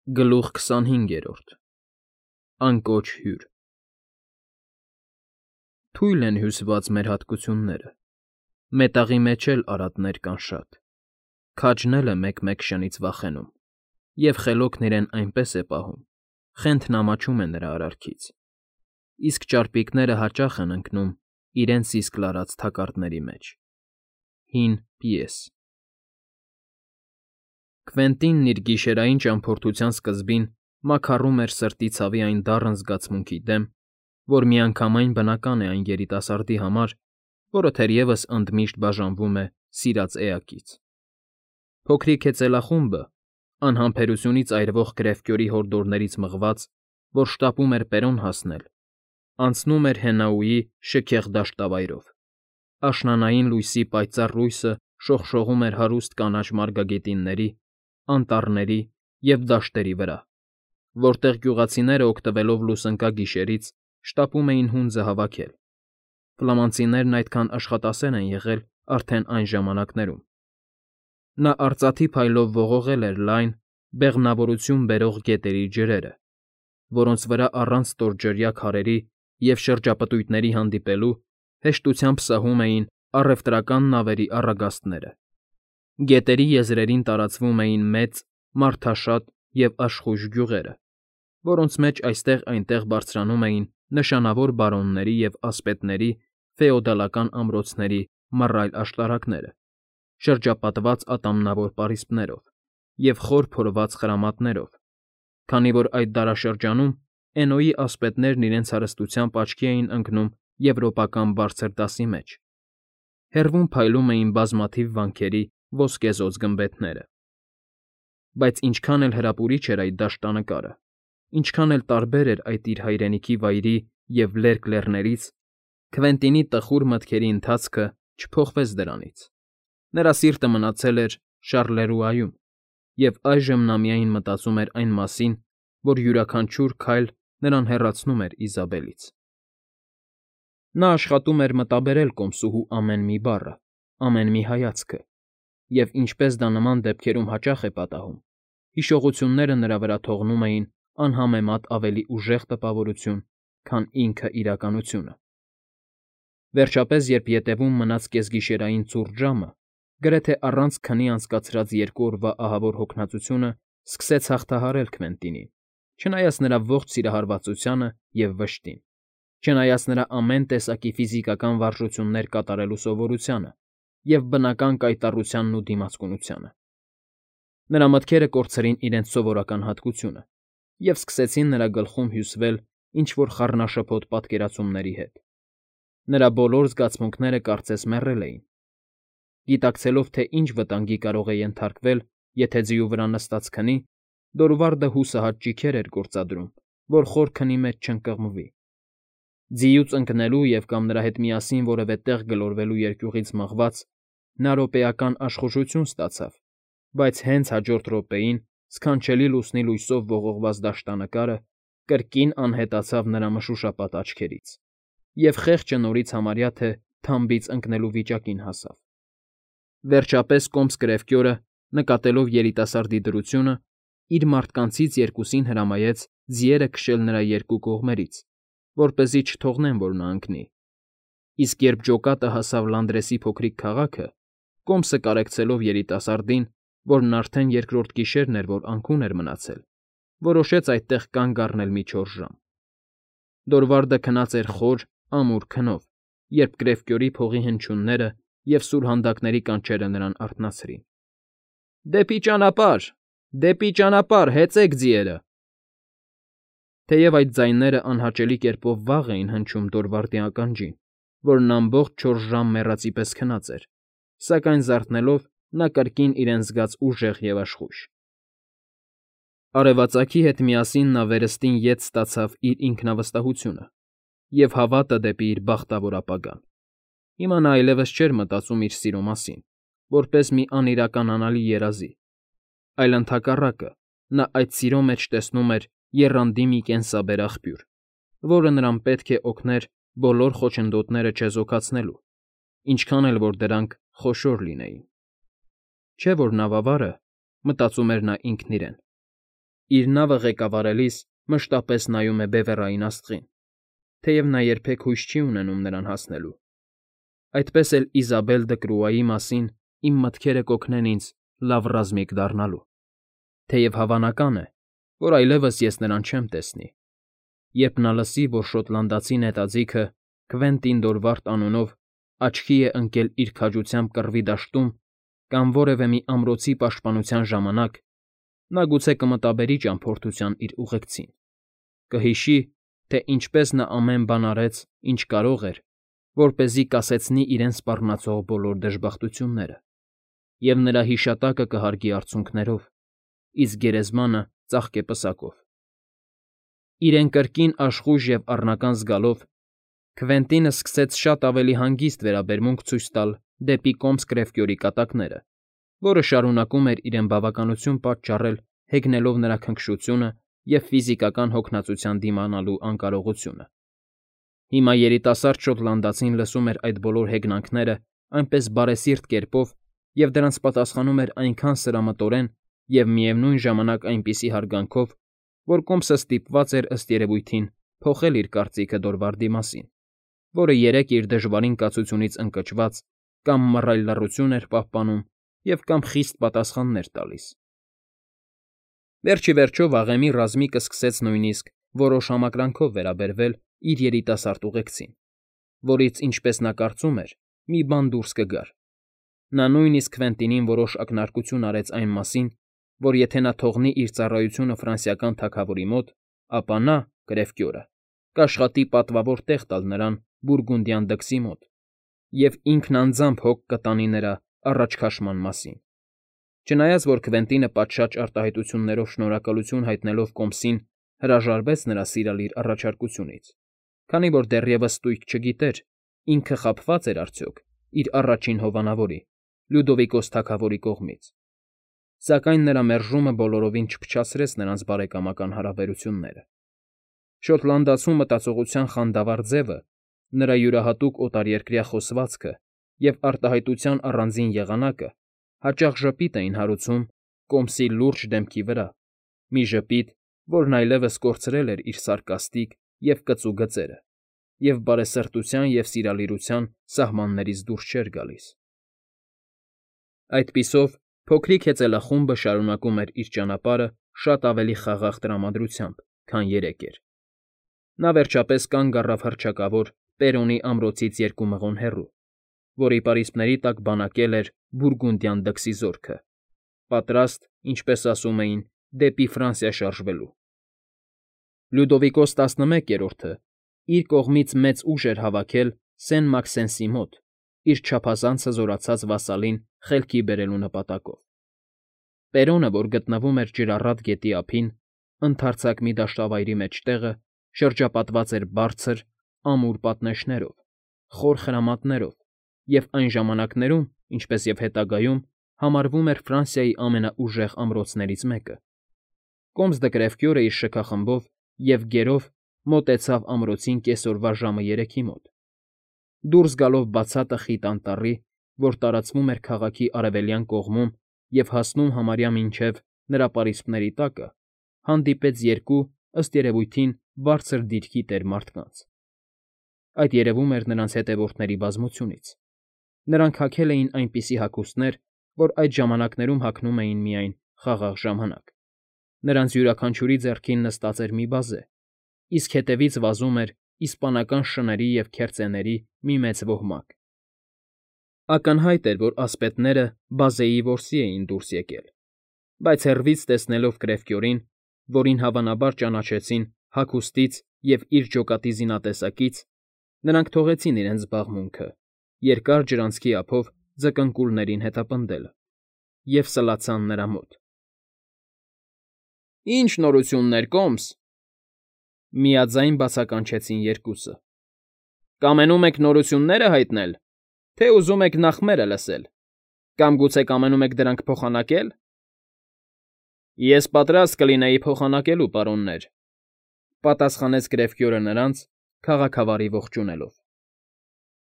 Գլուխ 25։ Անկոչ հյուր։ Թույլ են հյուսված մեր հատկությունները, Մետաղի մեջ էլ արատներ կան շատ, Քաջն էլ է մեկ֊մեկ շնից վախենում, Եվ խելոքն իրեն այնպես է պահում, Խենթն ամաչում է նրա արարքից, Իսկ ճարպիկները հաճախ են ընկնում Իրենց իսկ լարած թակարդների մեջ։ Հին պիես։ Քվենտինն իր գիշերային ճամփորդության սկզբին մաքառում էր սրտի ցավի այն դառն զգացմունքի դեմ, որ միանգամայն բնական է այն երիտասարդի համար, որը թերևս ընդմիշտ բաժանվում է սիրած էակից։ Փոքրիկ հեծելախումբը, անհամբերությունից այրվող գրեֆկյորի հորդորներից մղված, որ շտապում էր Պերոն հասնել, անցնում էր Հենաուի շքեղ դաշտավայրով։ Աշնանային լույսի պայծառ լույսը շողշողում էր հարուստ կանաչ մարգագետինների, անտառների և դաշտերի վրա, որտեղ գյուղացիները օգտվելով լուսնկա գիշերից շտապում էին հունձը հավաքել։ Ֆլամանցիներն այդքան աշխատասեր են եղել արդեն այն ժամանակներում։ Նա արծաթի փայլով ողողել էր լայն, բեղմնավորություն բերող գետերի ջրերը, որոնց վրա առանց ստորջրյա քարերի և շրջապտույտների հանդիպելու հեշտությամբ սահում էին առևտրական նավերի առագաստները։ Գետերի եզրերին տարածվում էին մեծ, մարդաշատ և աշխույժ գյուղերը, որոնց մեջ այստեղ֊այնտեղ բարձրանում էին նշանավոր բարոնների և ասպետների ֆեոդալական ամրոցների մռայլ աշտարակները, շրջապատված ատամնավոր պարիսպներով և խոր փորված խրամատներով, քանի որ այդ դարաշրջանում Էնոյի ասպետներն իրենց հարստությամբ աչքի էին ընկնում եվրոպական բարձր դասի մեջ, հեռվում փայլում էին բազմաթիվ վանքերի ոսկեզօծ գմբեթները։ Բայց ինչքան էլ հրապուրիչ էր այդ դաշտանկարը, ինչքան էլ տարբեր էր այդ իր հայրենիքի վայրի և լերկ լեռներից, Քվենտինի տխուր մտքերի ընթացքը չփոխվեց դրանից։ Նրա սիրտը մնացել էր Շառլերուայում, և այժմ նա միայն մտածում էր այն մասին, որ յուրաքանչյուր քայլ նրան հեռացնում էր Իզաբելից։ Նա աշխատում էր մտաբերել կոմսուհու ամեն մի բառը, ամեն մի հայացքը, և ինչպես դա նման դեպքերում հաճախ է պատահում, հիշողությունները նրա վրա թողնում էին անհամեմատ ավելի ուժեղ տպավորություն, քան ինքը իրականությունը։ Վերջապես, երբ ետևում մնաց կեսգիշերային ցուրտ ժամը, գրեթե առանց քնի անցկացրած 2 օրվա ահավոր հոգնածությունը սկսեց հաղթահարել Քվենտինին, չնայած նրա ողջ սիրահարվածությանը և վշտին, չնայած նրա ամեն տեսակի ֆիզիկական վարժություններ կատարելու սովորությանը և բնական կայտառությանն ու դիմացկունությանը։ Նրա մտքերը կորցրին իրենց սովորական հատկությունը և սկսեցին նրա գլխում հյուսվել ինչ֊որ խառնաշփոթ պատկերացումների հետ։ Նրա բոլոր զգացմունքները կարծես մեռել էին։ Գիտակցելով, թե ինչ վտանգի կարող է ենթարկվել, եթե ձիու վրա նստած քնի, Դորվարդը հուսահատ ճիգեր էր գործադրում, որ խոր քնի մեջ չընկղմվի։ Ձիուց ընկնելու և կամ նրա հետ միասին որևէ տեղ գլորվելու երկյուղից մղված՝ նա րոպեական աշխուժություն ստացավ, բայց հենց հաջորդ րոպեին սքանչելի լուսնի լույսով ողողված դաշտանկարը կրկին անհետացավ նրա մշուշապատ աչքերից, և խեղճը նորից համարյա թե թամբից ընկնելու վիճակին հասավ։ Վերջապես կոմս կրևկյորը, նկատելով երիտասարդի դրությունը, իր մարդկանցից երկուսին հրամայեց ձիերը քշել նրա երկու կողմերից, որպեսզի չթողնեն, որ նա ընկնի։ Իսկ երբ ջոկատը հասավ Լանդրեսի փոքրիկ քաղաքը, կոմսը կարեկցելով երիտասարդին, որն արդեն երկրորդ գիշերն էր, որ անքուն էր մնացել, որոշեց այդտեղ կանգ առնել մի 4 ժամ։ Դորվարդը քնած էր խոր, ամուր քնով, երբ կրևկյորի փողի հնչյունները և սուրհանդակների կանչերը նրան արթնացրին։ Դեպի ճանապարհ, հեծեք ձիերը։ Թեև այդ ձայները անհաճելի կերպով վաղ էին հնչում Դորվարդի ականջին, որն ամբողջ 4 ժամ մեռածի պես քնած էր, սակայն զարթնելով՝ նա կրկին իրեն զգաց ուժեղ և աշխույժ։ Արևածագի հետ միասին նա վերստին ետ ստացավ իր ինքնավստահությունը և հավատը դեպի իր բախտավոր ապագան։ Հիմա նա այլևս չէր մտածում իր սիրո մասին, որպես մի անիրականանալի երազի, այլ ընդհակառակը, նա այդ սիրո մեջ տեսնում էր եռանդի մի կենսաբեր աղբյուր, որը նրան պետք է օգներ բոլոր խոչընդոտները չեզոքացնելու, ինչքան էլ որ դրանք խոշոր լինեին։ Չէ՞ որ նավավարը, մտածում էր նա ինքն իրեն, Իր նավը ղեկավարելիս մշտապես նայում է բևեռային աստղին, թեև նա երբեք հույս չի ունենում նրան հասնելու։ Այդպես էլ Իզաբել Դկրուայի մասին իմ մտքերը կօգնեն ինձ լավ ռազմիկ դառնալու, թեև հավանական է, որ այլևս ես նրան չեմ տեսնի։ Երբ նա լսի, որ շոտլանդացի նետաձիգը Քվենտին Դորվարդ անունով աչքի է ընկել իր քաջությամբ կռվի դաշտում կամ որևէ մի ամրոցի պաշտպանության ժամանակ, նա գուցե կմտաբերի ճամփորդության իր ուղեկցին, կհիշի, թե ինչպես նա ամեն բան արեց, ինչ կարող էր, որպեսզի կասեցնի իրեն սպառնացող բոլոր դժբախտությունները, և նրա հիշատակը կհարգի արցունքներով, իսկ գերեզմանը ծաղկե պսակով։ Իրեն կրկին աշխույժ և առնական զգալով, Քվենտինը սկսեց շատ ավելի հանգիստ վերաբերմունք ցույց տալ դեպի Կոմս Կրևկյորի կատակները, որը շարունակում էր իրեն բավականություն պատճառել հեգնելով նրա քնքշությունը և ֆիզիկական հոգնածության դիմանալու անկարողությունը։ Հիմա երիտասարդ շոտլանդացին լսում էր այդ բոլոր հեգնանքները այնպես բարեսիրտ կերպով և դրանց պատասխանում էր այնքան սրամտորեն և միևնույն ժամանակ այնպիսի հարգանքով, որ Կոմսը ստիպված էր ըստ երևույթին փոխել իր կարծիքը Դորվարդի մասին, որը երեկ իր դժվարին կացությունից ընկճված կամ մռայլ լռություն էր պահպանում և կամ խիստ պատասխաններ տալիս։ Վերջիվերջո վաղեմի ռազմիկը սկսեց նույնիսկ որոշ համակրանքով վերաբերվել իր երիտասարդ ուղեկցին, որից, ինչպես նա կարծում էր, մի բան դուրս կգար։ Նա նույնիսկ Քվենտինին որոշ ակնարկություն արեց այն մասին, որ եթե նա թողնի իր ծառայությունը ֆրանսիական թագավորի մոտ, ապա նա, Կրևկյորը, կաշխատի պատվավոր տեղ տալ նրան Բուրգունդյան դքսի մոտ և ինքն անձամբ հոգ կտանի նրա առաջքաշման մասին։ Չնայած որ Քվենտինը պատշաճ արտահայտություններով շնորհակալություն հայտնելով Կոմսին հրաժարվեց նրա սիրալիր առաջարկությունից, քանի որ դեռևս ստույգ չգիտեր, ինքը խաբվա՞ծ էր արդյոք իր առաջին հովանավորի՝ Լյուդովիկոս թագավորի կողմից, սակայն նրա մերժումը բոլորովին չփչացրեց նրանց բարեկամական հարաբերությունները։ Շոտլանդացու մտածողության խանդավառ ձևը, նրա յուրահատուկ օտարերկրյա խոսվածքը և արտահայտության առանձին եղանակը հաճախ ժպիտ էին հարուցում Կոմսի լուրջ դեմքի վրա, մի ժպիտ, որն այլևս կորցրել էր իր սարկաստիկ և կծու գծերը և բարեսրտության և սիրալիրության սահմաններից դուրս չէր գալիս։ Այդպիսով փոքրիկ հեծելախումբը շարունակում էր իր ճանապարհը շատ ավելի խաղաղ տրամադրությամբ, քան երեկ էր։ Նա վերջապես կանգ առավ հռչակավոր Պերոնի ամրոցից 2 մղոն հեռու, որի պարիսպների տակ բանակել էր Բուրգունդյան դքսի զորքը, պատրաստ, ինչպես ասում էին, դեպի Ֆրանսիա շարժվելու։ Լյուդովիկոս 11-րդը իր կողմից մեծ ուժ էր հավաքել Սեն֊Մաքսենսի մոտ, իր չափազանց հզորացած վասալին խելքի բերելու նպատակով։ Պերոնը, որ գտնվում էր Ջրառատ գետի ափին, ընդարձակ մի դաշտավայրի մեջտեղը, շրջապատված էր բարձր, ամուր պատնեշներով, խոր խրամատներով և այն ժամանակներում, ինչպես և հետագայում, համարվում էր Ֆրանսիայի ամենաուժեղ ամրոցներից մեկը։ Կոմս դը Կրևկյորը իր շքախմբով և գերով մոտեցավ ամրոցին կեսօրվա ժամը 3-ի մոտ։ Դուրս գալով բացատը խիտ անտառի, որ տարածվում էր քաղաքի արևելյան կողմում և հասնում համարյա մինչև նրա պարիսպների տակը, հանդիպեց 2, ըստ երևույթին, բարձր դիրքի տեր մարդկանց։ Այդ երևում էր նրանց հետևորդների բազմությունից։ Նրանք հագել էին այնպիսի հագուստներ, որ այդ ժամանակներում հագնում էին միայն խաղաղ ժամանակ։ Նրանց յուրաքանչյուրի ձեռքին նստած էր մի բազե, իսկ հետևից վազում էր իսպանական շների և քերծեների մի մեծ ոհմակ։ Ակնհայտ էր, որ ասպետները բազեի որսի էին դուրս եկել, բայց հեռվից տեսնելով Կրևկյորին, որին հավանաբար ճանաչեցին հագուստից և իր ջոկատի զինատեսակից, նրանք թողեցին իրենց զբաղմունքը, երկար ջրանցքի ափով ձկնկուլներին հետապնդելը, և սլացան նրա մոտ։ Ի՞նչ նորություններ, Կոմս,֊ միաձայն բացականչեցին երկուսը։ Կամենում եք նորությունները հայտնել, թե ուզում եք նախ մերը լսել, կամ գուցե կամենում եք դրանք փոխանակել։ Ես պատրաստ կլինեի փոխանակելու, պարոններ,֊ պատասխանեց Կրևկյորը նրանց, քաղաքավարի ողջունելով։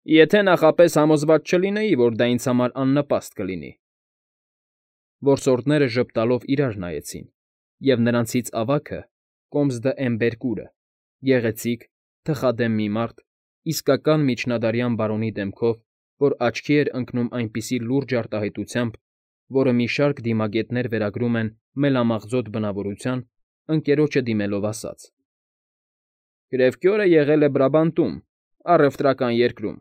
Եթե նախապես համոզված չլինեի, որ դա ինձ համար աննպաստ կլինի։ Որսորդները ժպտալով իրար նայեցին, և նրանցից ավագը Կոմս դը Էմբերկուրը, գեղեցիկ, թխադեմ մի մարդ, իսկական միջնադարյան բարոնի դեմքով, որ աչքի էր ընկնում այնպիսի լուրջ արտահայտությամբ, որը մի շարք դիմագետներ վերագրում են մելամաղձոտ բնավորության, ընկերոջը դիմելով ասաց. Կրևկյորը եղել է Բրաբանտում, առևտրական երկրում.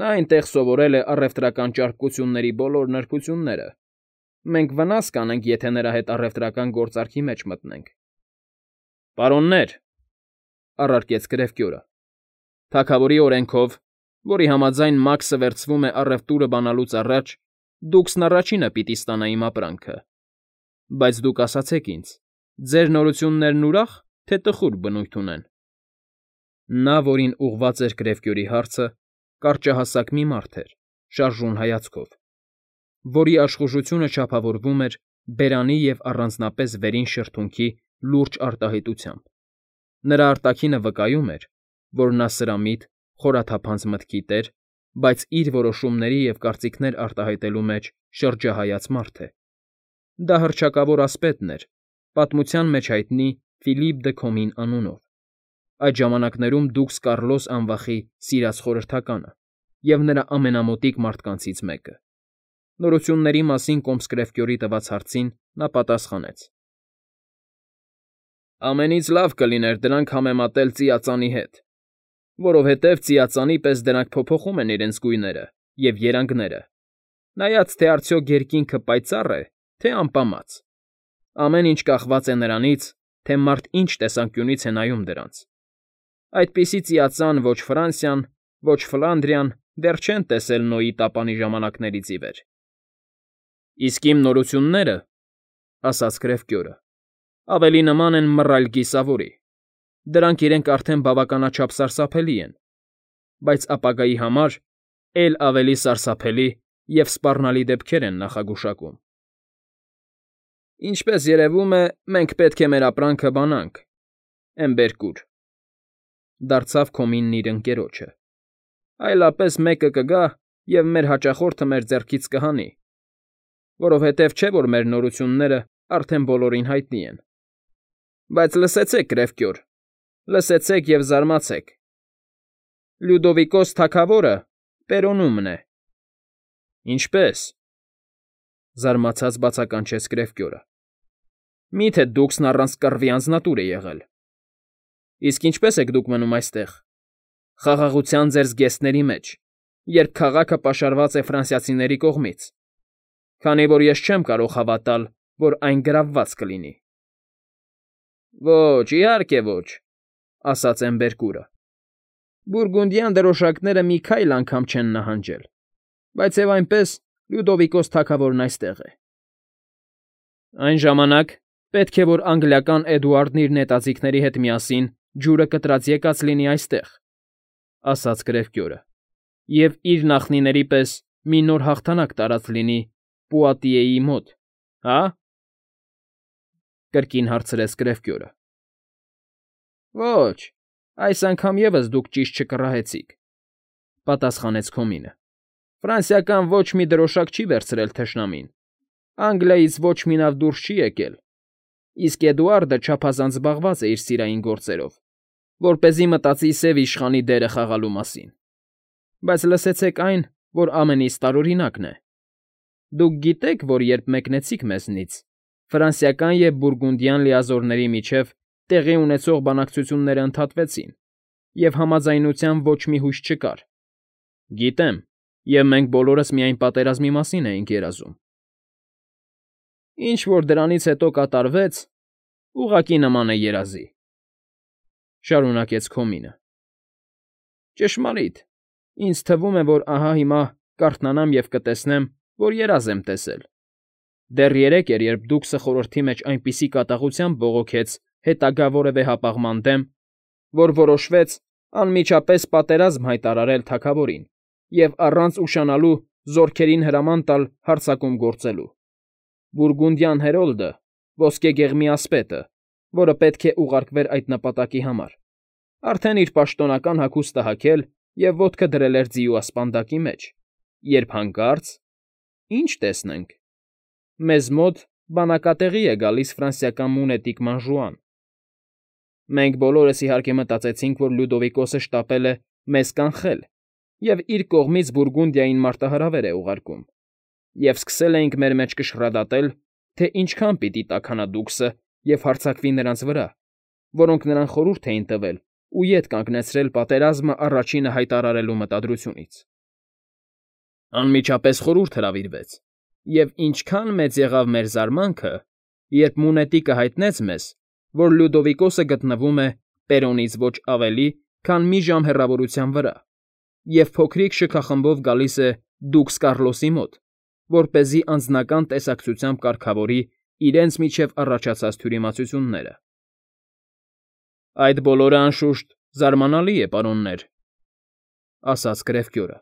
նա այնտեղ սովորել է առևտրական ճարպկությունների բոլոր նրբությունները. մենք վնաս կանենք, եթե նրա հետ առևտրական գործարքի մեջ մտնենք։ Պարոններ, առարկեց Կրևկյորը, թագավորի օրենքով, որի համաձայն Մաքսը վերցվում է առևտուրը բանալուց առաջ, դուքսն առաջինը պիտի ստանա իմ ապրանքը։ Բայց դուք ասացեք ինձ, ձեր նորություններն ուրախ, թե տխուր բնույթ ունեն։ Նա, որին ուղղված էր Կրևկյորի հարցը, կարճահասակ մի մարդ էր, շարժուն հայացքով, որի աշխուժությունը չափավորվում էր բերանի և առանձնապես վերին շրթունքի լուրջ արտահայտությամբ։ Նրա արտաքինը վկայում էր, որ նա սրամիտ, խորաթափանց մտքի տեր, բայց իր որոշումների և կարծիքներ արտահայտելու մեջ շրջահայաց մարդ է։ Դա հռչակավոր ասպետն էր, պատմության մեջ հայտնի Ֆիլիպ դը Քոմին անունով, այդ ժամանակներում դուքս Կառլոս անվախի սիրած խորհրդականը և նրա ամենամոտիկ մարդկանցից մեկը։ Նորությունների մասին Կոմս Կրևկյորի տված հարցին նա պատասխանեց. Ամենից լավ կլիներ դրանք համեմատել ծիածանի հետ, որովհետև ծիածանի պես դրանք փոփոխում են իրենց գույները և երանգները, նայած թե արդյոք երկինքը պայծառ է, թե ամպամած։ Ամեն ինչ կախված է նրանից, թե մարդ ինչ տեսանկյունից է նայում դրանց։ Այդպիսի ծիածան ոչ Ֆրանսիան, ոչ Ֆլանդրիան դեռ չեն տեսել Նոյի տապանի ժամանակներից ի վեր։ Իսկ իմ նորությունները, ասաց Կրևկյորը, ավելի նման են մռայլ գիսավորի։ Դրանք իրենք արդեն բավականաչափ սարսափելի են, բայց ապագայի համար էլ ավելի սարսափելի և սպառնալի դեպքեր են նախագուշակում։ Ինչպես երևում է, մենք պետք է մեր ապրանքը բանանք, Էմբերկուր, դարձավ Քոմինն իր ընկերոջը, այլապես մեկը կգա և մեր հաճախորդը մեր ձեռքից կհանի, որովհետև չէ, որ մեր նորությունները արդեն բոլորին հայտնի են։ Բայց լսեցեք, Կրևկյոր, լսեցեք և զարմացեք. Լյուդովիկոս թագավորը Պերոնումն է։ Ինչպե՞ս, զարմացած բացականչեց Կրևկյորը։ Մի՞թե դուքսն առանց կռվի անձնատուր է եղել։ Իսկ ինչպե՞ս եք դուք մնում այստեղ, խաղաղության ձեր զգեստների մեջ, երբ քաղաքը պաշարված է ֆրանսիացիների կողմից, քանի որ ես չեմ կարող հավատալ, որ այն գրավված կլինի։ Ոչ, իհարկե ոչ, ասաց Էմբերկուրը։ Բուրգունդյան դրոշակները մի քայլ անգամ չեն նահանջել, բայց և այնպես Լյուդովիկոս թագավորն այստեղ է։ Այն ժամանակ պետք է, որ անգլիական Էդուարդն իր նետաձիգների հետ միասին ջուրը կտրած եկած լինի այստեղ, ասաց Կրևկյորը, և իր նախնիների պես մի նոր հաղթանակ տարած լինի Պուատիեի մոտ, հա՞։ Կրկին հարցրեց Կրևկյորը։ Ոչ, այս անգամ ևս դուք ճիշտ չկռահեցիք, պատասխանեց Քոմինը։ Ֆրանսիական ոչ մի դրոշակ չի վերցրել թշնամին, Անգլիայից ոչ մի նավ դուրս չի եկել, իսկ Էդուարդը չափազանց զբաղված է իր սիրային գործերով, որպեսզի մտածի Սև Իշխանի դերը խաղալու մասին։ Բայց լսեցեք այն, որ ամենից տարօրինակն է։ Դուք գիտեք, որ երբ մեկնեցիք մեզնից, ֆրանսիական և բուրգունդյան լիազորների միջև տեղի ունեցող բանակցությունները ընդհատվեցին, և համաձայնության ոչ մի հույս չկար։ Գիտեմ, և մենք բոլորս միայն պատերազմի մասին էինք երազում։ Ինչ որ դրանից հետո կատարվեց, ուղղակի նման է երազի, շարունակեց Քոմինը։ Ճշմարիտ, ինձ թվում է, որ ահա հիմա կարթնանամ և կտեսնեմ, որ երազ եմ տեսել։ Դեռ երեկ էր, երբ դուքսը խորհրդի մեջ այնպիսի կատաղությամբ բողոքեց հետագա որևէ հապաղման դեմ, որ որոշվեց անմիջապես պատերազմ հայտարարել թագավորին և առանց ուշանալու զորքերին հրաման տալ հարձակում գործելու։ Բուրգունդյան հերոլդը, ոսկեգեղմի ասպետը, որը պետք է ուղարկվեր այդ նպատակի համար, արդեն իր պաշտոնական հագուստը հագել և ոտքը դրել էր ձիու ասպանդակի մեջ, երբ հանկարծ… Ինչ տեսնենք… Մեզ մոտ բանակատեղի է գալիս ֆրանսիական մունետիկ Մանժուան։ Մենք բոլորս իհարկե մտածեցինք, որ Լյուդովիկոսը շտապել է մեզ կանխել և իր կողմից Բուրգունդիային մարտահրավեր է ուղարկում, և սկսել էինք մեր մեջ կշռադատել, թե ինչքան պիտի տաքանա Դուքսը և հարձակվի նրանց վրա, որոնք նրան խորհուրդ էին տվել ու ետ կանգնեցրել պատերազմը առաջինը հայտարարելու մտադրությունից։ Անմիջապես խորհուրդ հրավիրվեց, և ինչքան մեծ եղավ մեր զարմանքը, երբ մունետիկը հայտնեց մեզ, որ Լյուդովիկոսը գտնվում է Պերոնից ոչ ավելի, քան մի ժամ հեռավորության վրա, և փոքրիկ շքախմբով գալիս է Դուքս Կառլոսի մոտ, որպեսզի անձնական տեսակցությամբ կարգավորի իրենց միջև առաջացած թյուրիմացությունները։ Այդ բոլորը, անշուշտ, զարմանալի է, պարոններ, ասաց Կրևկյորը,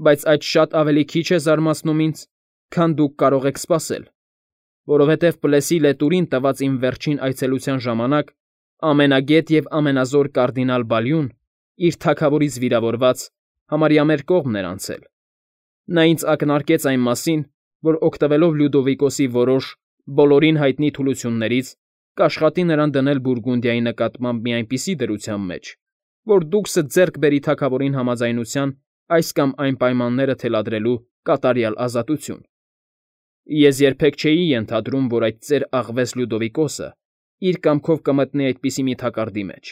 բայց այդ շատ ավելի քիչ է զարմացնում ինձ, քան դուք կարող եք սպասել, որովհետև Պլեսի լետուրին տված իմ վերջին այցելության ժամանակ ամենագետ և ամենազոր կարդինալ Բալյուն, իր թագավորից վիրավորված, համարյա մեր կողմն էր անցել։ Նա ինձ ակնարկեց այն մասին, որ օգտվելով Լյուդովիկոսի որոշ, բոլորին հայտնի թուլություններից, կաշխատի նրան դնել Բուրգունդիայի նկատմամբ մի այնպիսի դրության մեջ, որ Դուքսը ձեռք բերի թագավորին համաձայնության այս կամ այն պայմանները թելադրելու կատարյալ ազատություն։ Ես երբեք չէի ենթադրում, որ այդ ծեր աղվես Լյուդովիկոսը իր կամքով կմտնի այդպիսի մի թակարդի մեջ։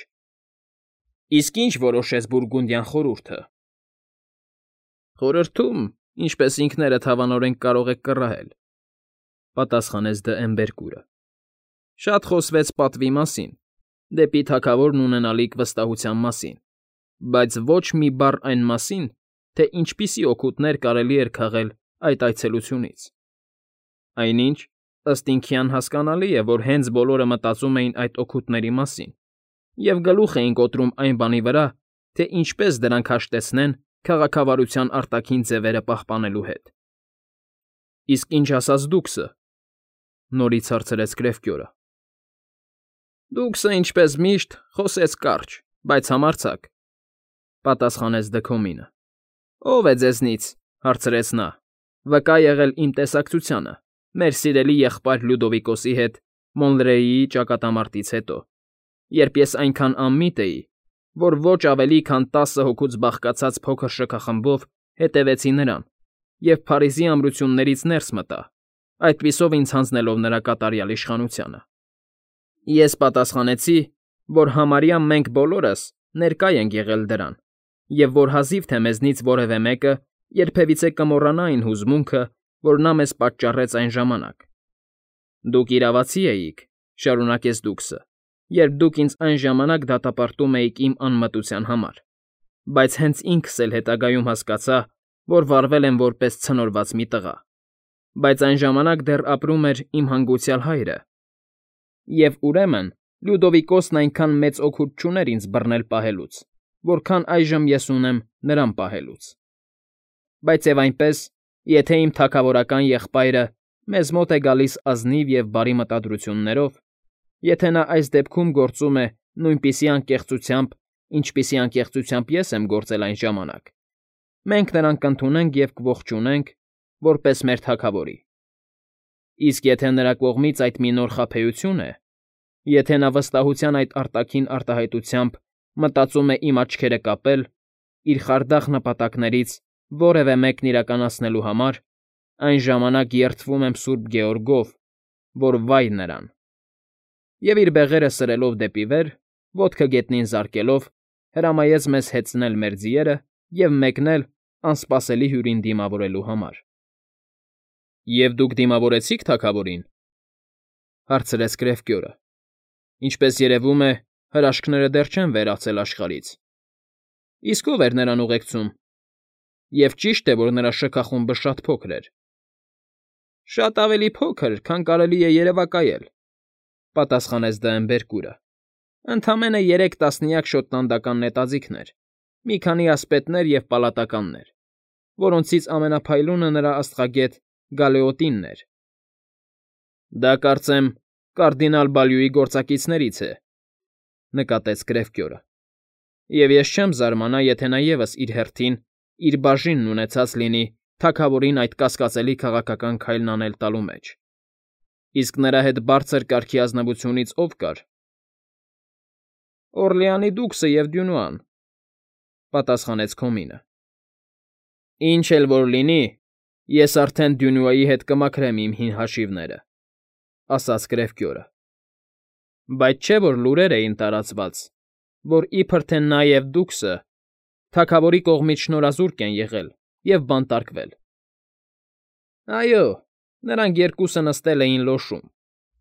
Իսկ ինչ որոշեց Բուրգունդյան խորհուրդը։ Խորհրդում, ինչպես ինքներդ հավանորեն կարող եք կռահել, պատասխանեց Դը Էմբերկուրը։ Շատ խոսվեց պատվի մասին, դեպի թագավորն ունենալիք վստահության մասին, բայց ոչ մի բառ այն մասին, թե ինչպիսի օգուտներ կարելի էր քաղել այդ այցելությունից։ Այնինչ, ըստ ինքյան հասկանալի է, որ հենց բոլորը մտածում էին այդ օգուտների մասին և գլուխ էին կոտրում այն բանի վրա, թե ինչպես դրանք հաշտեցնեն քաղաքավարության արտաքին ձևերը պահպանելու հետ։ Իսկ ինչ ասաց Դուքսը,֊ նորից հարցրեց Կրևկյորը։ Դուքսը, ինչպես միշտ, խոսեց կարճ, բայց համարձակ,֊ պատասխանեց Դքոմինը։ Ո՞վ է ձեզնից,֊ հարցրեց նա,֊ վկա եղել իմ տեսակցությանը, մեր սիրելի եղբայր Լյուդովիկոսի հետ Մոնլրեիի ճակատամարտից հետո, երբ ես այնքան անմիտ էի, որ ոչ ավելի քան 10 հոգուց բաղկացած փոքր շքախմբով հետևեցի նրան և Փարիզի ամրություններից ներս մտա, այդպիսով ինձ հանձնելով նրա կատարյալ իշխանությանը։ Ես պատասխանեցի, որ համարյա մենք բոլորս ներկա ենք եղել դրան, և որ հազիվ թե մեզնից որևէ մեկը երբևիցե կմոռանա այն հուզմունքը, որ նա մեզ պատճառեց այն ժամանակ։ Դուք իրավացի էիք,֊ շարունակեց Դուքսը, երբ դուք ինձ այն ժամանակ դատապարտում էիք իմ անմտության համար, բայց հենց ինքս էլ հետագայում հասկացա, որ վարվել եմ որպես ցնորված մի տղա, բայց այն ժամանակ դեռ ապրում էր իմ հանգուցյալ հայրը, և ուրեմն Լյուդովիկոսն այնքան մեծ օգուտ չուներ ինձ բռնել պահելուց, որքան այժմ ես ունեմ նրան պահելուց։ Բայց և այնպես, եթե իմ թագավորական եղբայրը մեզ մոտ է գալիս ազնիվ և բարի մտադրություններով, եթե նա այս դեպքում գործում է նույնպիսի անկեղծությամբ, ինչպիսի անկեղծությամբ ես եմ գործել այն ժամանակ, մենք նրան կընդունենք և կողջունենք որպես մեր թագավորի։ Իսկ եթե նրա կողմից այդ մի նոր խաբեություն է, եթե նա վստահության այդ արտաքին արտահայտությամբ մտածում է իմ աչքերը կապել, իր խարդախ նպատակներից որևէ մեկն իրականացնելու համար, այն ժամանակ երդվում եմ Սուրբ Գեորգով, որ վայ նրան։ Եվ իր բեղերը սրելով դեպի վեր, ոտքը գետնին զարկելով, հրամայեց մեզ հեծնել մեր ձիերը և մեկնել անսպասելի հյուրին դիմավորելու համար։ ֊ Եվ դուք դիմավորեցի՞ք թագավորին,֊ հարցրեց Կրևկյորը։ Ինչպես երևում է, հրաշքները դեռ չեն վերացել աշխարհից։ Իսկ ո՞վ էր նրան ուղեկցում։ Եվ ճիշտ է, որ նրա շքախումբը շատ փոքր էր։ Շատ ավելի փոքր, քան կարելի է երևակայել,֊ պատասխանեց Դը Էմբերկուրը։ Ընդամենը 3 տասնյակ շոտլանդական նետաձիգներ, մի քանի ասպետներ և պալատականներ, որոնցից ամենափայլունը նրա աստղագետ Գալեոտինն էր։ Դա, կարծեմ, կարդինալ Բալյուի գործակիցներից է,֊ նկատեց Կրևկյորը։ Եվ ես չեմ զարմանա, եթե նա ևս իր հերթին իր բաժինն ունեցած լինի թագավորին այդ կասկածելի քաղաքական քայլն անել տալու մեջ։ Իսկ նրա հետ բարձր կարգի ազնվությունից ով կար։ Օրլեանի դուքսը և Դյունուան, պատասխանեց Քոմինը։ Ինչ էլ որ լինի, ես արդեն Դյունուայի հետ կմաքրեմ իմ հին հաշիվները, ասաց Կրևկյորը։ Բայց չէ՞ որ լուրեր էին տարածված, որ իբր թե նա և դուքսը թագավորի կողմից շնորհազուրկ են եղել և բանտարկվել։ Այո, նրանք երկուսը նստել էին լոշում,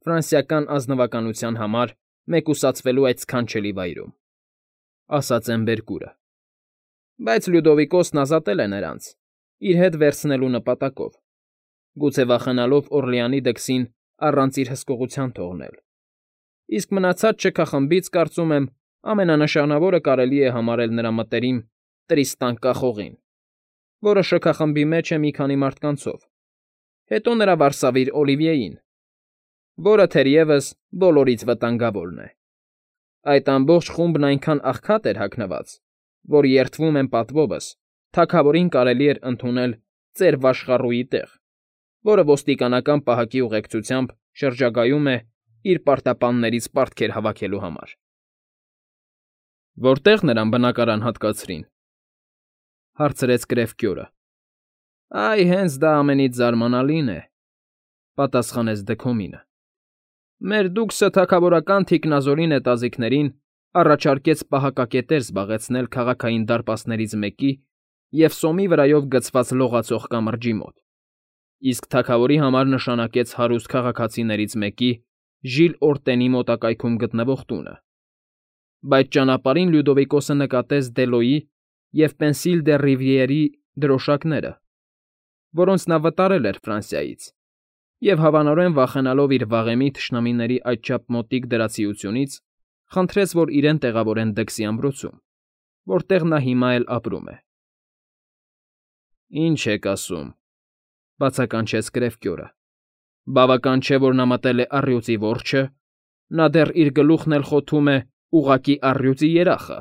ֆրանսիական ազնվականության համար մեկուսացվելու այդ սքանչելի վայրում, ասաց Էմբերկուրը։ Բայց Լյուդովիկոսն ազատել է նրանց, իր հետ վերցնելու նպատակով, գուցե վախենալով Օրլեանի դքսին առանց իր հսկողության թողնել։ Իսկ մնացած շքախմբից, կարծում եմ, ամենանշանավորը կարելի է համարել նրա մտերիմ Տրիստան Կախողին, որը շքախմբի մեջ է մի քանի մարդկանցով, հետո նրա վարսավիր Օլիվիեին, որը թերևս բոլորից վտանգավորն է։ Այդ ամբողջ խումբն այնքան աղքատ էր հագնված, որ երդվում եմ պատվովս, թագավորին կարելի էր ընդունել ծեր վաշխառուի տեղ, որը ոստիկանական պահակի ուղեկցությամբ շրջագայում է իր պարտապաններից պարտքեր հավաքելու համար։ Որտե՞ղ նրան բնակարան հատկացրին, հարցրեց Կրևկյորը։ Այ հենց դա ամենից զարմանալին է, պատասխանեց Դքոմինը։ Մեր դուքսը թագավորական թիկնազորի նետաձիգներին առաջարկեց պահակակետեր զբաղեցնել քաղաքային դարպասներից մեկի և սոմի վրայով գցված լողացող կամրջի մոտ, իսկ թագավորի համար նշանակեց հարուստ քաղաքացիներից մեկի Ժիլ Օրտենի մոտակայքում գտնվող տունը։ Բայց ճանապարհին Լյուդովիկոսը նկատեց Դելոյի և Պենսիլ դե Ռիվիերի դրոշակները, որոնց նա վտարել էր Ֆրանսիայից, և հավանորեն վախենալով իր վաղեմի թշնամիների այդչափ մոտիկ դրացիությունից, խնդրեց, որ իրեն տեղավորեն դքսի ամրոցում, որտեղ նա հիմա էլ ապրում է։ Ինչ եք ասում, բացականչեց Կրևկյորը։ Բավական չէ, որ նա մտել է առյուծի որջը, նա դեռ իր գլուխն էլ խոթում է ուղղակի առյուծի երախը։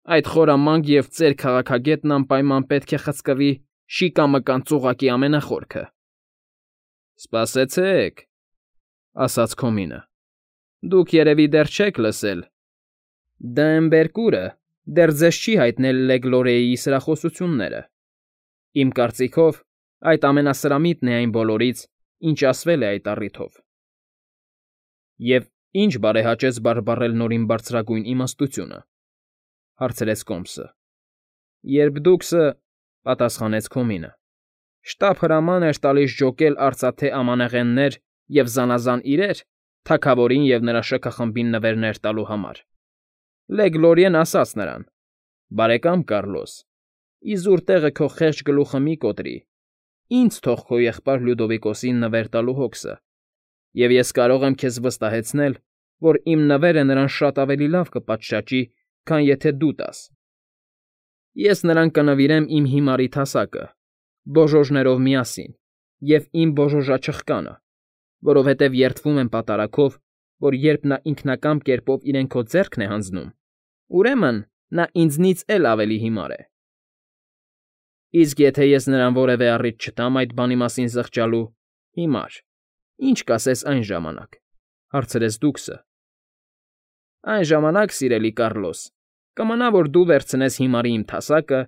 Այդ խորամանկ և ծեր քաղաքագետն անպայման պետք է խցկվի շիկամկան ծուղակի ամենախորքը։ Սպասեցեք, ասաց Քոմինը, դուք երևի դեռ չեք լսել։ Դա Էմբերկուրը դեռ ձեզ չի հայտնել Լեգլորեի սրախոսությունները։ Իմ կարծիքով, այդ ամենասրամիտն է այն բոլորից, ինչ ասվել է այդ առիթով։ Եվ ինչ բարեհաճեց բարբառել նորին բարձրագույն իմաստությունը, հարցրեց Կոմսը։ Երբ դուքսը, պատասխանեց Քոմինը, շտապ հրաման էր տալիս ջոկել արծաթե ամանեղեններ և զանազան իրեր թագավորին և նրա շքախմբին նվերներ տալու համար։ Լեգլորիեն ասաց նրան. «Բարեկամ Կառլոս, իզուր տեղը քո խեղճ գլուխը մի կոտրի, ինձ թող քո եղբայր Լյուդովիկոսին նվեր տալու հոգսը, և ես կարող եմ քեզ վստահեցնել, որ իմ նվերը նրան շատ ավելի լավ կպատշաճի, քան եթե դու տաս։ Ես նրան կնվիրեմ իմ հիմարի թասակը, բոժոժներով միասին, և իմ բոժոժաչխկանը, որովհետև երդվում եմ պատարագով, որ երբ նա ինքնակամ կերպով իրեն քո ձեռքն է հանձնում, ուրեմն նա ինձնից էլ ավելի հիմար է։ Իսկ եթե ես նրան որևէ առիթ չտամ այդ բանի մասին զղջալու, հիմար, ինչ կասես այն ժամանակ, հարցրեց դուքսը։ Այն ժամանակ, սիրելի Կառլոս, կմնա, որ դու վերցնես հիմարի իմ թասակը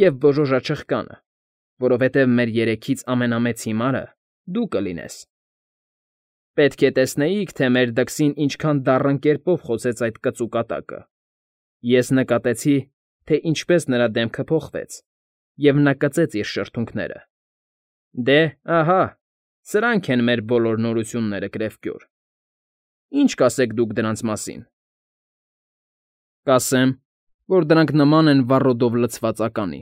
և բոժոժաչխկանը, որովհետև մեր երեքից ամենամեծ հիմարը դու կլինես։ Պետք է տեսնեիք, թե մեր դքսին ինչքան դառն կերպով խոսեց այդ կծու կատակը։ Ես նկատեցի, թե ինչպես նրա դեմքը փոխվեց, և նա կծեց իր շրթունքները։ Դե, ահա, սրանք են մեր բոլոր նորությունները, Կրևկյոր։ Ինչ կասեք դուք դրանց մասին։ Կասեմ, որ դրանք նման են վառոդով լցված ականի,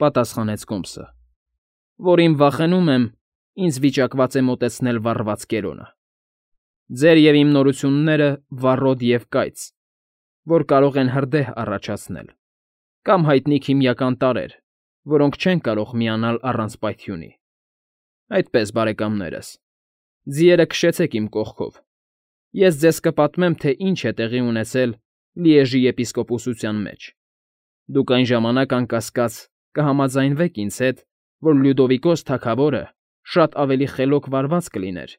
պատասխանեց Կոմսը, որին վախենում եմ, ինձ վիճակված է մոտեցնել վառված կերոնը։ Ձեր և իմ նորությունները վառոդ և կայծ, որ կարող են հրդեհ առաջացնել, կամ հայտնի քիմիական տարրեր, որոնք չեն կարող միանալ առանց պայթյունի։ Այդպես, բարեկամներս, ձիերը քշեցեք իմ կողքով։ Ես ձեզ կպատմեմ, թե ինչ է տեղի ունեցել Լիեժի եպիսկոպոսության մեջ։ Դուք այն ժամանակ, անկասկած, կհամաձայնվեք ինձ հետ, որ Լյուդովիկոս թագավորը շատ ավելի խելոք վարված կլիներ,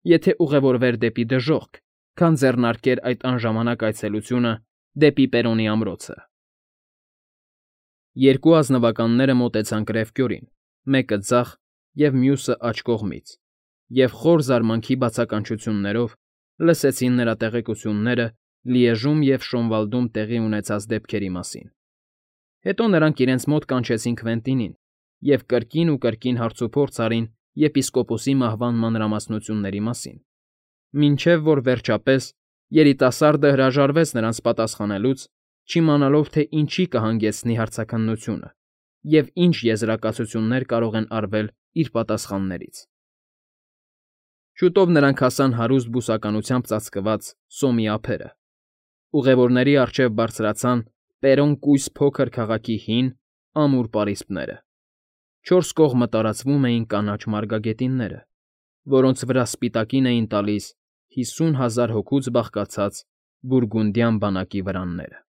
եթե ուղևորվեր դեպի դժոխք, քան ձեռնարկեր այդ անժամանակ այցելությունը դեպի Պերոնի ամրոցը։ Երկու ազնվականները մոտեցան կրևկյորին, մեկը ձախ և մյուսը աջ կողմից, և խոր զարմանքի բացականչություններով լսեցին նրա տեղեկությունները Լիեժում և Շոնվալդում տեղի ունեցած դեպքերի մասին։ Հետո նրանք իրենց մոտ կանչեցին Քվենտինին և կրկին ու կրկին հարցուփորձ արին եպիսկոպոսի մահվան մանրամասնությունների մասին, մինչև որ վերջապես երիտասարդը հրաժարվեց նրանց պատասխանելուց, չիմանալով, թե ինչի կհանգեցնի հարցաքննությունը և ինչ եզրակացություններ կարող են արվել իր պատասխաններից։ Շուտով նրանք հասան հարուստ բուսականությամբ ծածկված սոմի ափերը։ Ուղևորների առջև բարձրացան Պերոն կույս փոքր քաղաքի հին, ամուր պարիսպները։ Չորս կողմը տարածվում էին կանաչ մարգագետինները, որոնց վրա սպիտակին էին տալիս 50,000 հոգուց բաղկացած բուրգունդյան բանակի վրանները։